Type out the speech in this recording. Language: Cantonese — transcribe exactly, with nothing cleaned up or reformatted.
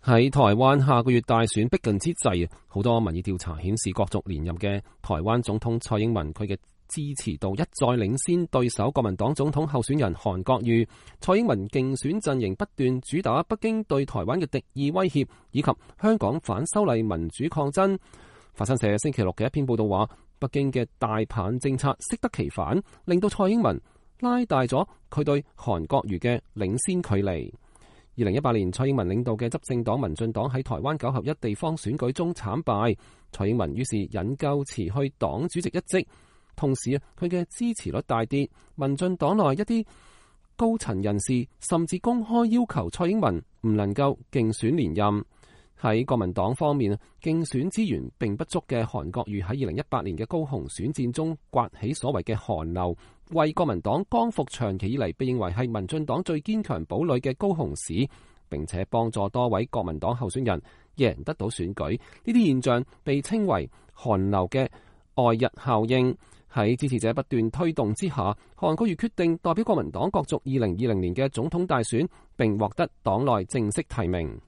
喺台灣下個月大選逼近之際，好多民意調查顯示，角逐連任嘅台灣總統蔡英文佢嘅支持度一再領先對手國民黨總統候選人韓國瑜。蔡英文競選陣營不斷主打北京對台灣嘅敵意威脅，以及香港反修例民主抗爭。法新社星期六嘅一篇報道話，北京嘅大棒政策適得其反，令到蔡英文拉大咗佢對韓國瑜嘅領先距離。二零一八年，蔡英文領導嘅執政黨民進黨喺台灣九合一地方選舉中慘敗，蔡英文於是引咎辭去黨主席一職，同時啊，佢嘅支持率大跌，民進黨內一啲高層人士甚至公開要求蔡英文唔能夠競選連任。喺國民黨方面，競選資源並不足嘅韓國瑜喺二零一八年嘅高雄選戰中颳起所謂嘅韓流，為國民黨光復長期以嚟被認為係民進黨最堅強堡壘嘅高雄市，並且幫助多位國民黨候選人贏得到選舉。呢啲現象被稱為韓流嘅外日效應。喺支持者不斷推動之下，韓國瑜決定代表國民黨角逐二零二零年嘅總統大選，並獲得黨內正式提名。